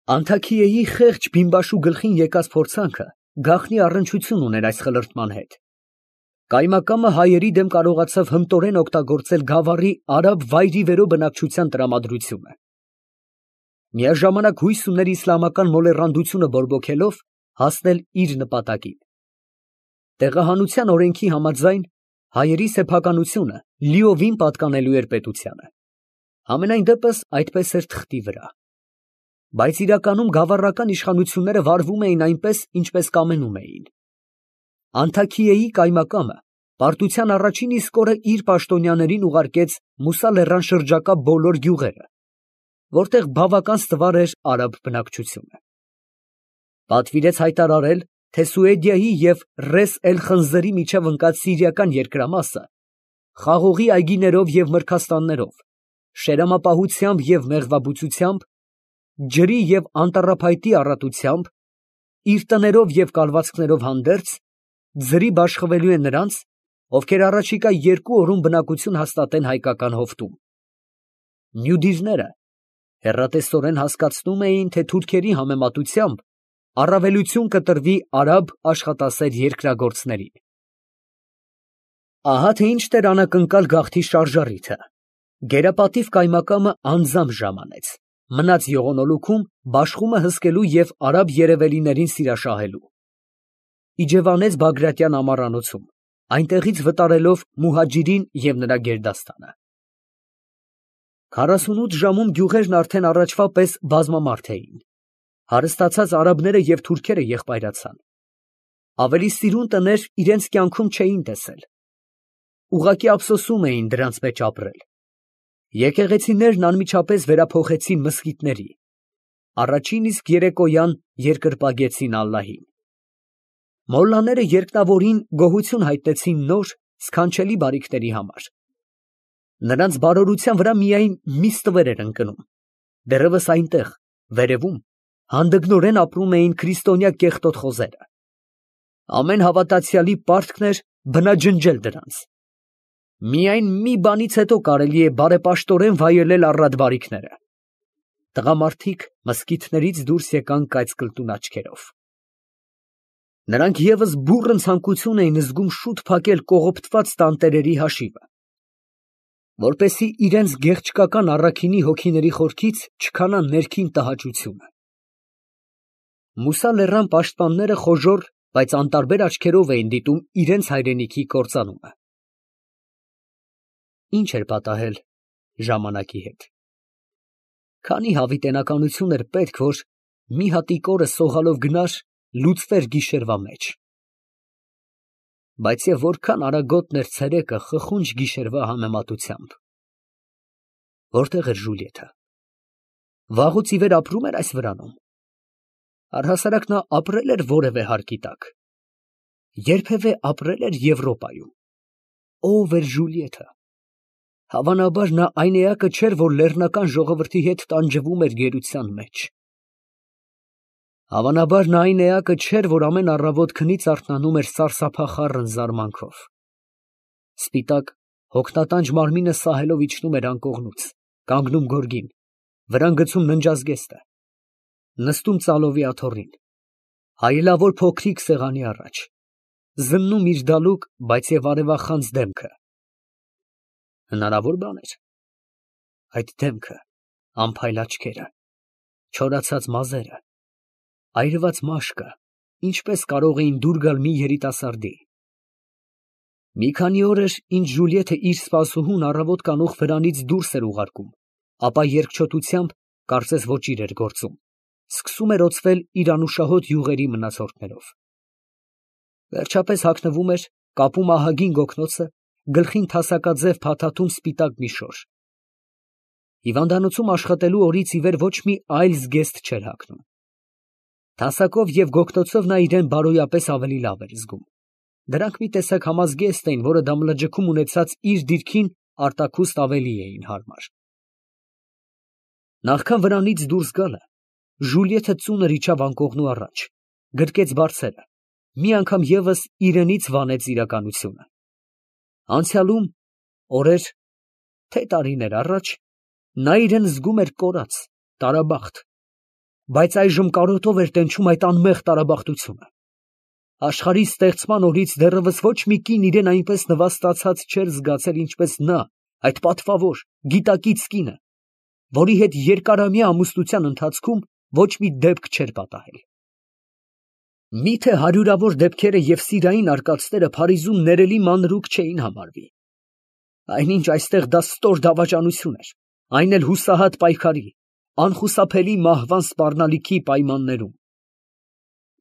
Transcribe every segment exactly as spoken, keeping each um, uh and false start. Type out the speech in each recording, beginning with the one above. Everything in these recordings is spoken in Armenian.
Անթաքիեի խեղճ բիմբաշու գլխին եկած փորձանքը գաղտնի առնչություն ուներ այս խլրտման հետ. կայմակամը հայերի դեմ կարողացավ հմտորեն օգտագործել գավառի արաբ վայրիվերո բնակչության տրամադրությունը. միաժամանակ հույս ուներ իսլամական մոլեռանդությունը բորբոքելով հասնել իր նպատակին. տեղահանության օրենքի համաձայն հայերի սեփականությունը լիովին պատկանելու էր պետությանը, համենայն դեպս այդպես էր թղթի վրա. բայց իրականում գավառական իշխանությունները վարվում էին այնպես, ինչպես կամենում էին. Անթաքիեի կայմակամը պարտության առաջին իսկ օրը իր պաշտոնյաներին ուղարկեց Մուսա լեռան շրջակա բոլոր գյուղերը, որտեղ բավական ստվար էր արաբ բնակչությունը. պատվիրեց հայտարարել, թե Սուեդիայի և Ռես էլ֊Խնձորի միջև ընկած սիրիական երկրամասը խաղողի այգիներով և մրգաստաններով, շերամապահությամբ և մեղվաբուծությամբ, ջրի և անտառափայտի առատությամբ, իր տներով և կալվածքներով հանդերձ, ձրի բաշխվելու է նրանց, ովքեր առաջիկա երկու օրում բնակություն հաստատեն հայկական հովտում։ Մյուդիրները հեռատեսորեն հասկացնում էին, թե թուրքերի համեմատությամբ առավելություն կտրվի արաբ աշխատասեր երկրագործներին։ Ահա թե ինչ էր անակնկալ գաղթի շարժառիթը. գերապատիվ կայմակամը անձամբ ժամանեց, մնաց ողոնոլուքում բաշխումը հսկելու և արաբ երևելիներին սիրաշահելու։ Իջևանեց Բագրատյան ամառանոցում, այնտեղից վտարելով Մուհաջիրին և նրա գերդաստանը։ քառասունութ ժամում գյուղերն արդեն առաջվա պես բազմամարդ էին. հարստացած արաբները և թուրքերը եղբայրացան։ Ավելի սիրուն տներ իրանց կյանքում չէին տեսել. ուղղակի ափսոսում էին դրանց մեջ ապրել։ Եկեղեցիներն անմիջապես վերափոխեցին մզկիթների, առաջին իսկ երեկոյան երկրպագեցին ալլահին։ Մոլլաները երկնավորին գոհություն հայտնեցին նոր, սքանչելի բարիքների համար։ Նրանց բարօրության վրա միայն մի ստվեր էր ընկնում. դեռևս այնտեղ, վերևում, հանդգնորեն ապրում էին քրիստոնյա կեղտոտ խոզերը։ Ամեն հավատացյալի պարտքն էր բնաջնջել դրանց։ Միայն մի բանից հետո կարելի է բարեպաշտորեն վայելել առատ բարիքները։ Տղամարդիկ մզկիթներից դուրս եկան կայծկլտուն աչքերով։ Նրանք ևս բուռն ցանկություն էին զգում շուտ փակել կողոպտված տանտերերի հաշիվը, որպեսզի իրենց գեղչկական առաքինի հոգիների խորքից չքանա ներքին տհաճությունը։ Մուսա լեռան պաշտպանները խոժոռ, բայց անտարբեր աչքերով էին դիտում իրենց հայրենիքի կործանումը։ Ինչ էր պատահել ժամանակի հետ։ Քանի հավիտենականություն էր պետք, որ մի հատիկ օրը սողալով գնար, լուծվեր գիշերվա մեջ։ Բայց և որքան արագոտն էր ցերեկը խխունջ գիշերվա համեմատությամբ։ Որտե՞ղ էր Ժուլիետը։ Վաղուց ի վեր ապրում էր այս վրանում։ Առհասարակ նա ապրել էր որևէ հարկի տակ։ Երբևէ ապրել էր Եվրոպայում։ Ո՞վ էր Ժուլիետը։ Հավանաբար նա այն էակը չէր, որ լեռնական ժողովրդի հետ տանջվում էր գերության մեջ։ Հավանաբար նա այն էակը չէր, որ ամեն առավոտ քնից արթնանում էր սարսափախառն զարմանքով։ Սպիտակ, հոգնատանջ մարմինը սահելով իջնում էր անկողնուց, կանգնում գորգին, վրան գցում ննջազգեստը, նստում ծալովի աթոռին, հայելավոր փոքրիկ սեղանի առաջ, զննում իր դալուկ, բայց և արևախանձ դեմքը։ Հնարավոր բան էր։ Այդ դեմքը, անփայլ աչքերը, չորացած մազերը, այրված մաշկը, ինչպես կարող էին դուր գալ մի երիտասարդի։ Մի քանի օր էր, ինչ Ժուլիետը իր սպասուհուն առավոտ կանուխ վրանից դուրս էր ուղարկում, ապա երկչոտությամբ, կարծես ոճիր էր գործում, սկսում էր օծվել իր անուշահոտ յուղերի մնացորդներով։ Վերջապես հագնվում էր, կապում ահագին գոգնոցը, գլխին թասակաձև փաթաթում սպիտակ մի շոր։ Հիվանդանոցում աշխատելու օրից ի վեր ոչ մի այլ զգեստ չէր հագնում։ Թասակով և գոգնոցով նա իրան բարոյապես ավելի լավ էր զգում։ Դրանք մի տեսակ համազգեստ էին, որը դամլաջքում ունեցած իր դիրքին արտաքուստ ավելի էին հարմար։ Նախքան վրանից դուրս գալը, Ժուլիետը ծունր իջավ անկողնու առաջ, գրկեց բարձերը, մի անգամ ևս իրենից վանեց իրականությունը։ Անցյալում, օրեր, թե տարիներ առաջ, նա իրան զգում էր կորած, տարաբախտ, բայց այժմ կարոտով էր տենչում այդ անմեղ տարաբախտությունը։ Աշխարհի ստեղծման օրից դեռևս ոչ մի կին իրեն այնպես նվաստացած չէր զգացել, ինչպես նա, այդ պատվավոր, գիտակից կինը, որի հետ երկարամյա ամուսնության ընթացքում ոչ մի դեպք չէր պատահել։ Միթե հարյուրավոր դեպքերը և սիրային արկածները Փարիզում ներելի մանրուք չէին համարվի։ Այնինչ այստեղ դա ստոր դավաճանություն էր, այն էլ հուսահատ պայքարի, անխուսափելի մահվան սպառնալիքի պայմաններում։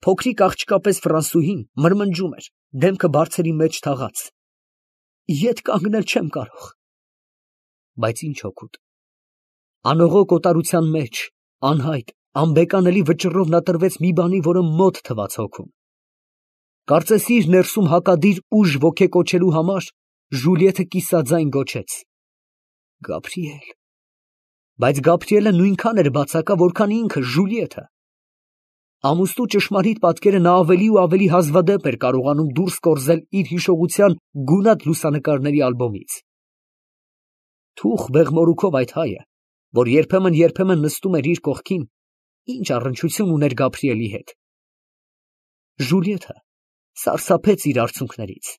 Փոքրիկ աղջկա պես Ֆրանսուհին մրմնջում էր, դեմքը բարձերի մեջ թաղած. «Ետ կանգնել չեմ կարող»։ Բայց ինչ օգուտ։ Անողոք օտարության մեջ, անհայտ, անբեկանելի վճռով նա տրվեց մի բանի, որը մոտ թվաց հոգուն։ Կարծես իր ներսում հակադիր ուժ ոգեկոչելու համար Ժուլիեթը կիսաձայն գոչեց. «Գաբրիել»։ Բայց Գաբրիելը նույնքան էր բացակա, որքան ինքը Ժուլիեթը։ Ամուսնու ճշմարիտ պատկերը նա ավելի ու ավելի հազվադեպ էր կարողանում դուրս կորզել իր հիշողության գունատ լուսանկարների ալբոմից։ Թուխ բեղմորուքով այդ հայը, որ երբեմն֊երբեմն նստում էր իր կողքին, ինչ առնչություն ուներ Գաբրիելի հետ։ Ժուլիեթը սարսափեց իր արցունքներից,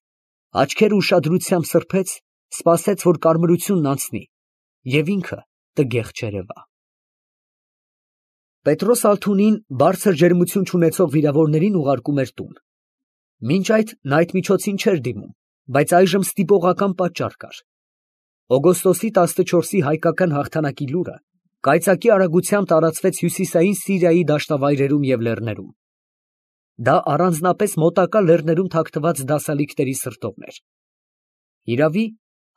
աչքերը ուշադրությամբ սրբեց, սպասեց, որ կարմրությունն անցնի, և ինքը տգեղ չերևա։ Պետրոս Ալթունին բարձր ջերմություն չունեցող վիրավորներին ուղարկում էր տուն։ Մինչ այդ նա այդ միջոցին չէր դիմում, բայց այժմ ստիպողական պատճառ կար։ Օգոստոսի տասնչորսի հայկական հաղթանակի լուրը կայծակի արագությամբ տարածվեց հյուսիսային Սիրիայի դաշտավայրերում և լեռներում։ Դա առանձնապես մոտակա լեռներում թաքնված դասալիկների սրտովն էր։ Իրավի,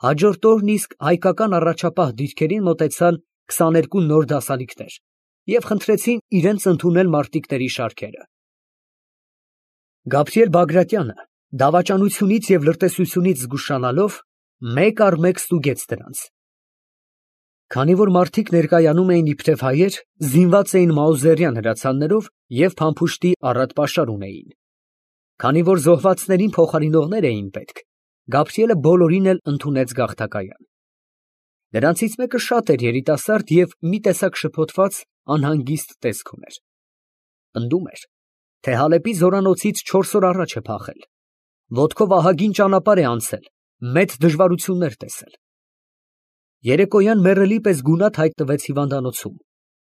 հաջորդ օրն իսկ հայկական առաջապահ դիրքերին մոտեցան քսաներկու նոր դասալիկներ և խնդրեցին իրենց ընդունել մարտիկների շարքերը։ Գաբրիել Բագրատյանը, դավաճանությունից և լրտեսությունից զգուշանալով, մեկ առ մեկ ստուգեց դրանց։ Քանի որ մարդիկ ներկայանում էին իբրև հայեր, զինված էին մաուզերյան հրացաններով և փամփուշտի առատ պաշար ունեին։ Քանի որ զոհվածներին փոխարինողներ էին պետք, Գաբրիելը բոլորին էլ ընդունեց գաղթակայան։ Նրանցից մեկը շատ էր երիտասարդ և մի տեսակ շփոթված, անհանգիստ տեսք ուներ։ Պնդում էր, թե Հալեպի զորանոցից չորս օր առաջ է փախել, ոտքով ահագին ճանապարհ է անցել, մեծ դժվարություններ տեսել։ Երեկոյան մեռելի պես գունատ հայտնվեց հիվանդանոցում,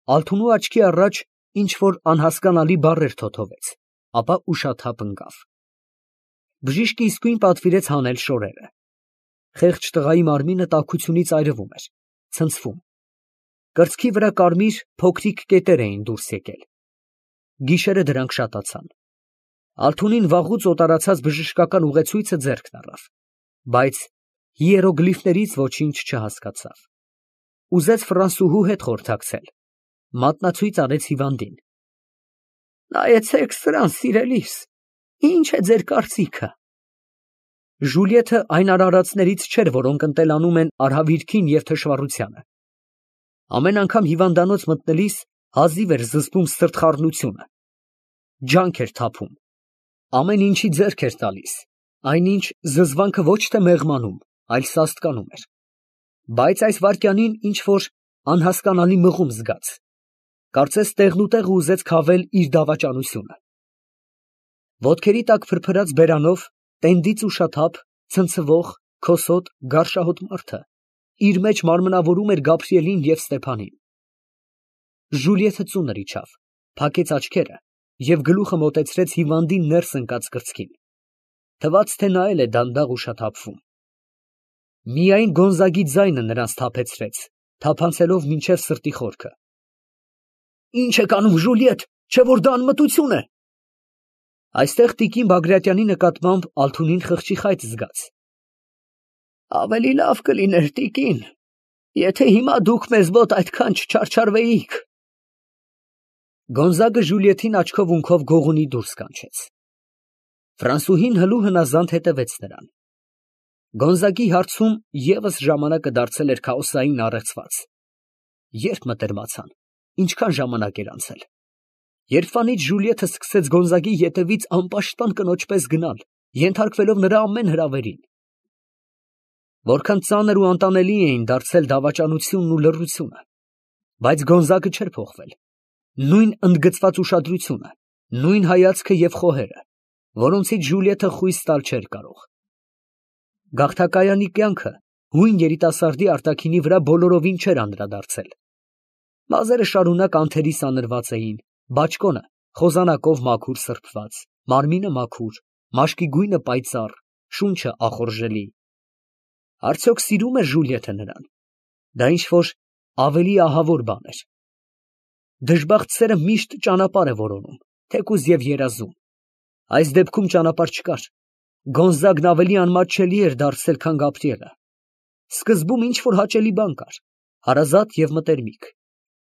Ալթունու աչքի առաջ ինչ֊որ անհասկանալի բառեր թոթվեց, ապա ուշաթափ ընկավ։ Բժիշկը իսկույն պատվիրեց հանել շորերը։ Խեղճ տղայի մարմինը տաքությունից այրվում էր, ցնցվում։ Կրծքի վրա կարմիր, փոքրիկ կետեր էին դուրս եկել։ Գիշերը դրանք շատացան։ Ալթունին վաղուց օտարացած բժշկական ուղեցույցը ձեռքն առավ, բայց հիերոգլիֆներից ոչինչ չհասկացավ։ Ուզեց ֆրանսուհու հետ խորհրդակցել, մատնացույց արեց հիվանդին։ Նայեցեք սրան, սիրելիս, ի՞նչ է ձեր կարծիքը։ Ժուլիեթը այն արարածներից չէր, որոնք ընտելանում են արհավիրքին և թշվառությանը։ Ամեն անգամ հիվանդանոց մտնելիս հազիվ էր զսպում սրտխառնությունը, ջանք էր թափում, ամեն ինչի ձեռք էր տալիս, այնինչ զզվանքը ոչ թե մեղմանում, այլ սաստկանում էր։ Բայց այս վայրկյանին ինչ֊որ անհասկանալի մղում զգաց, կարծես տեղնուտեղ ուզեց քավել իր դավաճանությունը։ Ոտքերի տակ փրփրած բերանով, տենդից ուշաթափ, ցնցվող, քոսոտ, գարշահոտ մարդը իր մեջ մարմնավորում էր Գաբրիելին և Ստեփանին։ Ժուլիեթը ծունր իջավ, փակեց աչքերը և գլուխը մոտեցրեց հիվանդի ներս ընկած կրծքին։ Թվաց, թե նա էլ է դանդաղ ուշաթափվում։ Միայն Գոնզագի ձայնը նրան սթափեցրեց, թափանցելով մինչև սրտի խորքը։ Ի՞նչ եք անում, Ժուլիետ, չէ՞ որ դա անմտություն է։ Այստեղ տիկին Բագրատյանի նկատմամբ Ալթունին խղճի խայծ զգաց։ Ավելի լավ կլիներ, տիկին, եթե հիմա դուք մեզ մոտ այդքան չչարչարվեիք։ Գոնզագը Ժուլիեթին աչքով֊ունքով գողունի դուրս կանչեց։ Ֆրանսուհին հլու հնազանդ հետևեց նրան։ Գոնզագի հարցում ևս ժամանակը դարձել էր քաոսային առեղծված։ Երբ մտերմացան, ինչքան ժամանակ էր անցել։ Երբվանից Ժուլիեթը սկսեց Գոնզագի ետևից անպաշտպան կնոջ պես գնալ, ենթարկվելով նրա ամեն հրավերին։ Որքան ծանր ու անտանելի էին դարձել դավաճանությունն ու լռությունը, բայց Գոնզագը չէր փոխվել։ նույն ընդգծված ուշադրությունը, նույն հայացքը և խոհերը, որոնցից Ժուլիետը խույս տալ չէր կարող։ Գաղթակայանի կյանքը հույն երիտասարդի արտաքինի վրա բոլորովին չէր անդրադարձել։ Մազերը շարունակ անթերի սանրված էին, բաճկոնը խոզանակով մաքուր սրբված, մարմինը մաքուր, մաշկի գույնը պայծառ, շունչը ախորժելի։ Արդյոք սիրում էր Ժուլիետը նրան։ Դա ինչ-որ ավելի ահավոր բան էր։ Դժբախտ սերը միշտ ճանապարհ է որոնում, թեկուզ և երազում։ Այս դեպքում ճանապարհ չկար։ Գոնզագն ավելի անմատչելի էր դարձել, քան Գաբրիելը։ Սկզբում ինչ-որ հաճելի բան կար, հարազատ և մտերմիկ,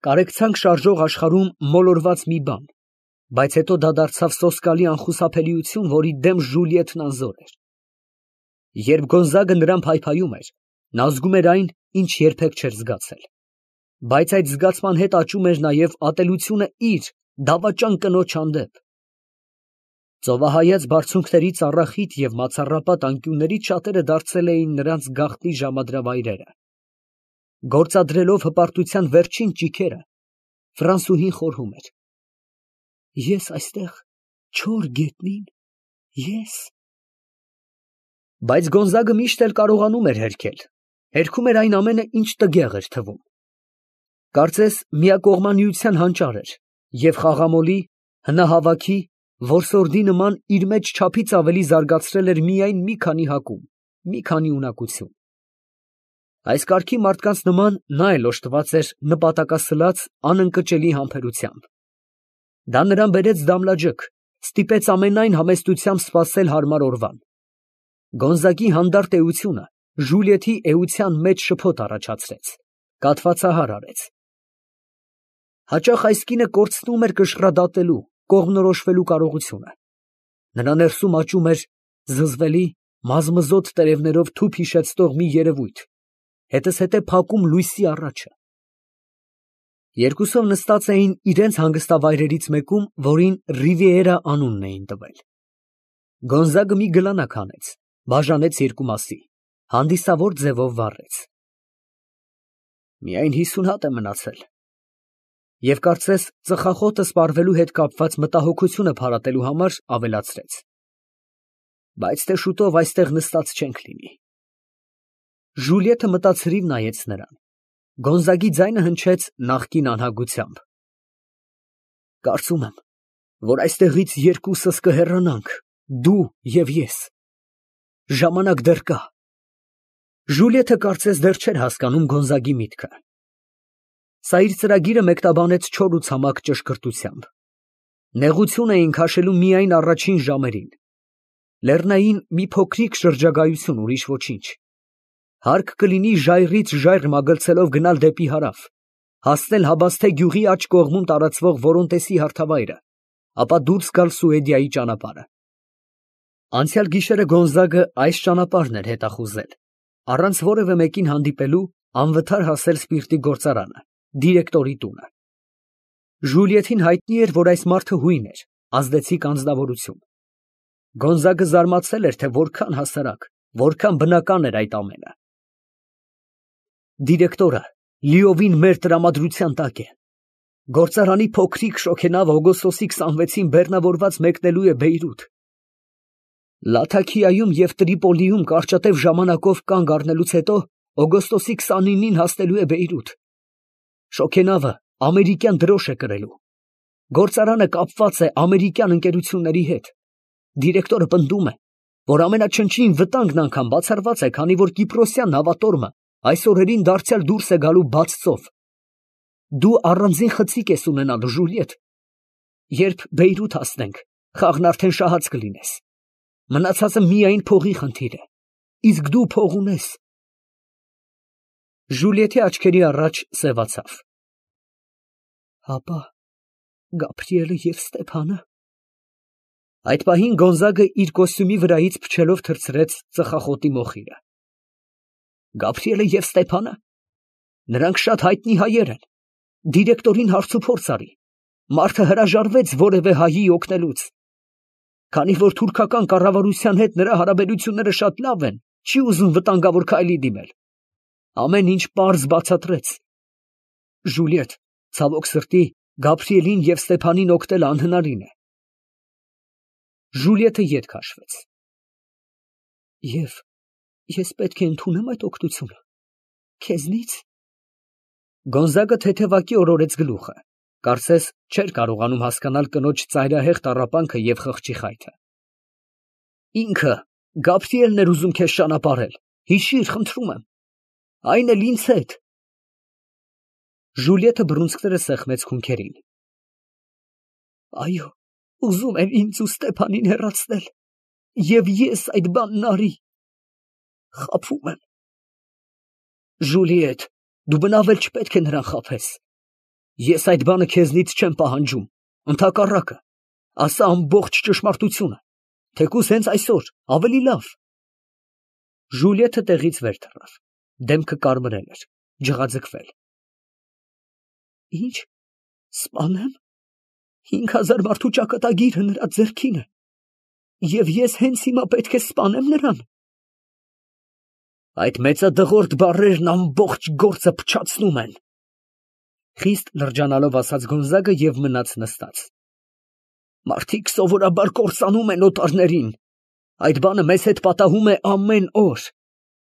կարեկցանք շարժող աշխարհում մոլորված մի բան, բայց հետո դա դարձավ սոսկալի անխուսափելիություն, որի դեմ Ժուլիետն անզոր էր։ Երբ Գոնզագը նրան փայփայում էր, նա զգում էր այն, ինչ երբեք չէր զգացել։ Բայց այդ զգացման հետ աճում էր նաև ատելությունը իր դավաճան կնոջ հանդեպ։ Ծովահայաց բարձունքների ծառախիտ և մացառապատ անկյուններից շատերը դարձել էին նրանց գաղտնի ժամադրավայրերը։ Գործադրելով հպարտության վերջին ճիգերը, Ֆրանսուհին խորհում էր. «Ես այստեղ չոր գետնին, ես»։ Բայց Գոնզագը միշտ էլ կարողանում էր հերքել, հերքում էր այն ամենը, ինչ տգեղ էր թվում։ Կարծես միակողմանիության հանճար էր և խաղամոլի, հնահավաքի, որսորդի նման իր մեջ չափից ավելի զարգացրել էր միայն մի քանի հակում, մի քանի ունակություն։ Այս կարգի մարդկանց նման նա էլ օժտված էր նպատակասլաց, անընկճելի համբերությամբ։ Դա նրան բերեց Դամլաջոկ, ստիպեց ամենայն համեստությամբ սպասել հարմար օրվան։ Գոնզագի հանդարտ էությունը Ժուլիետի էության մեջ շփոթ առաջացրեց, կաթվածահար արեց։ Հաճախ այս կինը կորցնում էր կշռադատելու, կողմնորոշվելու կարողությունը։ Նրա ներսում աճում էր զզվելի, մազմզոտ տերևներով թուփ հիշեցնող մի երևույթ, հետզհետե փակում լույսի առաջը։ Երկուսով նստած էին իրենց հանգստավայրերից մեկում, որին Ռիվիերա անունն էին տվել։ Գոնզագը մի գլանակ հանեց, բաժանեց երկու մասի, հանդիսավոր ձևով վառեց։ Միայն հիսուն հատ է մնացել։ Եվ կարծես ծխախոտը սպառվելու հետ կապված մտահոգությունը փարատելու համար ավելացրեց. բայց թե շուտով այստեղ նստած չենք լինի։ Ժուլիետը մտածրիվ նայեց նրան։ Գոնզագի ձայնը հնչեց նախկին անհագությամբ։ Կարծում եմ, որ այստեղից երկուսս կհեռանանք, դու և ես։ Ժամանակ դեռ կա։ Ժուլիետը կարծես դեռ չէր հասկանում Գոնզագի միտքը։ Սա իր ծրագիրը մեկնաբանեց չոր ու ցամաք ճշգրտությամբ։ Նեղություն էին քաշելու միայն առաջին ժամերին։ Լեռնային մի փոքրիկ շրջագայություն, ուրիշ ոչինչ։ Հարկ կլինի ժայռից ժայռ մագլցելով գնալ դեպի հարավ, հասնել Հաբասթե գյուղի աջ կողմում տարածվող Որոնտեսի հարթավայրը, ապա դուրս գալ Սուեդիայի ճանապարհը։ Անցյալ գիշերը Գոնզագը այս ճանապարհն էր հետախուզել, առանց որևէ մեկին հանդիպելու անվթար հասել սպիրտի գործարանը, դիրեկտորի տունը։ Ժուլիետին հայտնի էր, որ այս մարդը հույն էր, ազդեցիկ անձնավորություն։ Գոնզագը զարմացել էր, թե որքան հասարակ, որքան բնական էր այդ ամենը։ Դիրեկտորը լիովին մեր տրամադրության տակ է։ Գործարանի փոքրիկ շոգենավ օգոստոսի քսանվեցին բեռնավորված մեկնելու է Բեյրութ։ Լաթաքիայում և Տրիպոլիում կարճատև ժամանակով կանգ առնելուց հետո օգոստոսի քսանինին հասնելու է Բեյրութ։ Շոգենավը ամերիկյան դրոշ է կրելու։ Գործարանը կապված է ամերիկյան ընկերությունների հետ։ Դիրեկտորը պնդում է, որ ամենաչնչին վտանգն անգամ բացառված է, քանի որ կիպրոսյան նավատորմը այս օրերին դարձյալ դուրս է գալու բաց ծով։ Դու առանձին խցիկ ես ունենալ, Ժուլիետ։ Երբ Բեյրութ հասնենք, խաղն արդեն շահած կլինես։ Մնացածը միայն փողի խնդիր է։ Իսկ դու փող ունես։ Ժուլիետի աչքերի առաջ սևացավ։ Հապա Գաբրիելը և Ստեփանը։ Այդ պահին Գոնզագը իր կոստյումի վրայից փչելով թռցրեց ծխախոտի մոխիրը։ Գաբրիելը և Ստեփանը։ Նրանք շատ հայտնի հայեր են։ Դիրեկտորին հարցուփորձ արի։ Մարդը հրաժարվեց որևէ հայի օգնելուց։ Քանի որ թուրքական կառավարության հետ նրա հարաբերությունները շատ լավ են, չի ուզում վտանգավոր քայլի դիմել։ Ամեն ինչ պարզ բացատրեց։ Ժուլիետ, ցավոք սրտի, Գաբրիելին և Ստեփանին օգնել անհնարին է։ Ժուլիետը ետ քաշվեց։ Եվ ես պետք է ընդունեմ այդ օգնությունը, քեզնից։ Գոնզագը թեթևակի օրորեց գլուխը, կարծես չէր կարողանում հասկանալ կնոջ ծայրահեղ տառապանքը և խղճի խայթը։ Ինքը Գաբրիելն էր ուզում քեզ ճանապարհել, հիշիր, խնդրում եմ, այն էլ ինձ հետ։ Ժուլիետը բռունցքները սեղմեց քունքերին։ Այո, ուզում էր ինձ ու Ստեփանին հեռացնել, և ես այդ բանն արի։ Խաբում եմ։ Ժուլիետ, դու բնավ էլ չպետք է նրան խաբես։ Ես այդ բանը քեզնից չեմ պահանջում, ընդհակառակը, ասա ամբողջ ճշմարտությունը, թեկուզ հենց այսօր, ավելի լավ։ Ժուլիետը տեղից վեր թռավ, դեմքը կարմրել էր, ջղաձգվել։ Ինչ, սպանեմ։ Հինգ հազար մարդու ճակատագիրը նրա ձեռքին է, և ես հենց հիմա պետք է սպանեմ նրան։ Այդ մեծադղրդ բառերն ամբողջ գործը փչացնում են, խիստ լրջանալով ասաց Գոնզագը և մնաց նստած։ Մարդիկ սովորաբար կործանում են օտարներին, այդ բանը մեզ հետ պատահում է ամեն օր,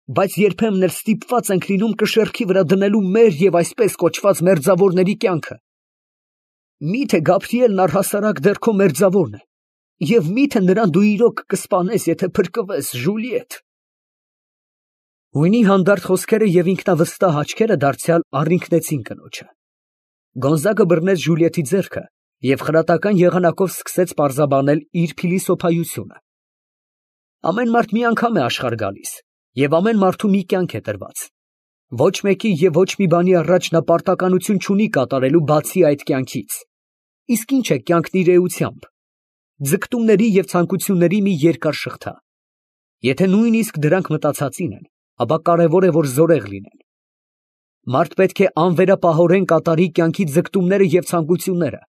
բայց երբեմն էլ ստիպված ենք լինում կշեռքի վրա դնելու մեր և այսպես կոչված մերձավորների կյանքը։ Միթե Գաբրիելն առհասարակ դեռ քո մերձավորն է, և միթե նրան դու իրոք կսպանես, եթե փրկվես, Ժուլիետ։ Հույնի հանդարտ խոսքերը և ինքնավստահ աչքերը դարձյալ առինքնեցին կնոջը։ Գոնզագը բռնեց Ժուլիետի ձեռքը և խրատական եղանակով սկսեց պարզաբանել իր փիլիսոփայությունը։ Ամեն մարդ մի անգամ է աշխարհ գալիս, և ամեն մարդու մի կյանք է տրված։ Ոչ մեկի և ոչ մի բանի առաջ նա պարտականություն չունի կատարելու բացի այդ կյանքից։ Իսկ ինչ է կյանքն իր էությամբ։ Ձգտումների և ցանկությունների մի երկար շղթա։ Եթե նույնիսկ դրանք մտածածին են, ապա կարևոր է, որ զորեղ լինեն։ Մարդ պետք է անվերապահորեն կատարի կյանքի ձգտումները և ցանկությունները։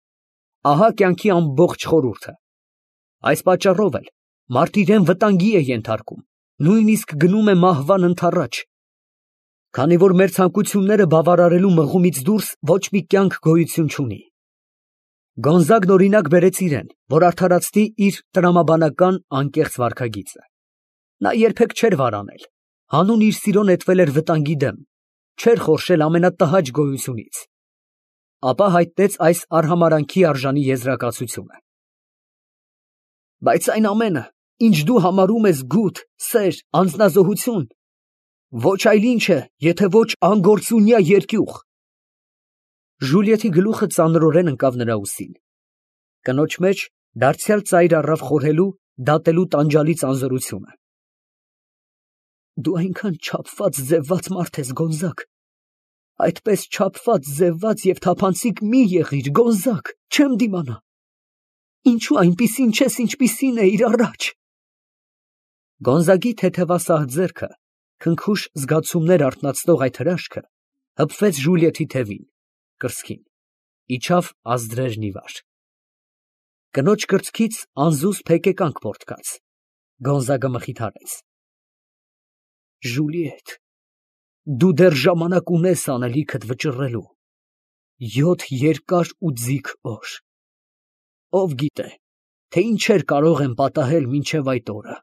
Ահա կյանքի ամբողջ խորհուրդը։ Այս պատճառով էլ մարդ իրեն վտանգի է ենթարկում, նույնիսկ գնում է մահվան ընդառաջ։ Քանի որ մեր ցանկությունները բավարարելու մղումից դուրս ոչ մի կյանք գոյություն չունի։ Գոնզագն օրինակ բերեց իրեն, որ արդարացնի իր տրամաբանական անկեղծ վարքագիծը։ Նա երբեք չէր վարանել, հանուն իր սիրո նետվել էր վտանգի դեմ, չէր խորշել ամենատհաճ գոյությունից։ Ապա հայտնեց այս արհամարհանքի արժանի եզրակացությունը. Բայց այն ամենը, ինչ դու համարում ես գութ, սեր, անձնազոհություն, ոչ այլ ինչ է, եթե ոչ անգործունյա երկյուղ։ Ժուլիետի գլուխը ծանրորեն ընկավ նրա ուսին։ Կնոջ մեջ դարձյալ ծայր առավ խորհելու, դատելու տանջալից անզորությունը։ Դու այնքան չափված, ձևված մարդ ես, Գոնզագ, այդպես չափված, ձևված և թափանցիկ մի եղիր, Գոնզագ, չեմ դիմանա։ Ինչու այնպիսին չես, ինչպիսին էիր առաջ։ Գոնզագի թեթևասահ ձեռքը, քնքուշ զգացումներ արթնացնող այդ հրաշքը հպվեց Ժուլիետի թևին, կրծքին, իջավ ազդրերն ի վար։ Կնոջ կրծքից անզուսպ հեկեկանք պոռթկաց։ Գոնզագը մխիթարեց. Ժուլիետ, դու դեռ ժամանակ ունես անելիքդ վճռելու, յոթ երկար ու ձիգ օր։ Ով գիտե, թե ինչեր կարող եմ պատահել մինչև այդ օրը։